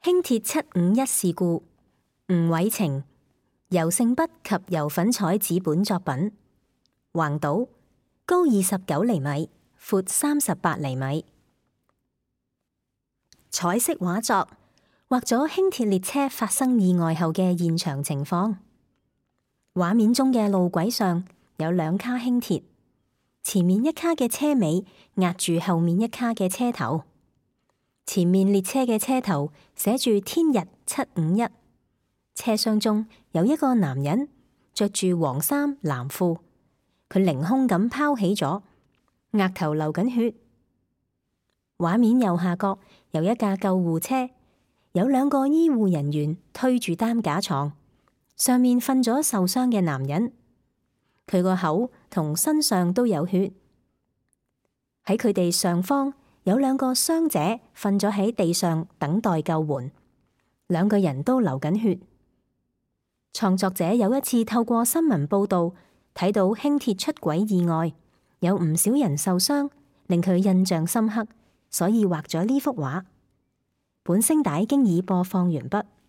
輕鐵751事故，吳偉晴，油性筆及油粉彩紙本作品，橫島，高29厘米，闊38厘米。彩色畫作畫咗輕鐵列車發生意外後嘅現場情況。畫面中嘅路軌上有2卡輕鐵，前面1卡嘅車尾壓住後面1卡嘅車頭。前面列車嘅車頭寫住天日751，車廂中有一個男人着住黃衫藍褲，佢凌空咁拋起咗，額頭流緊血。畫面右下角有一架救護車，有2個醫護人員推住擔架床，上面瞓咗受傷嘅男人，佢個口同身上都有血。喺佢哋上方有2個傷者瞓咗喺地上等待救援，2個人都流緊血。創作者有一次透過新聞報道睇到輕鐵出軌意外，有唔少人受傷，令佢印象深刻，所以畫咗呢幅畫。本聲帶經已播放完畢。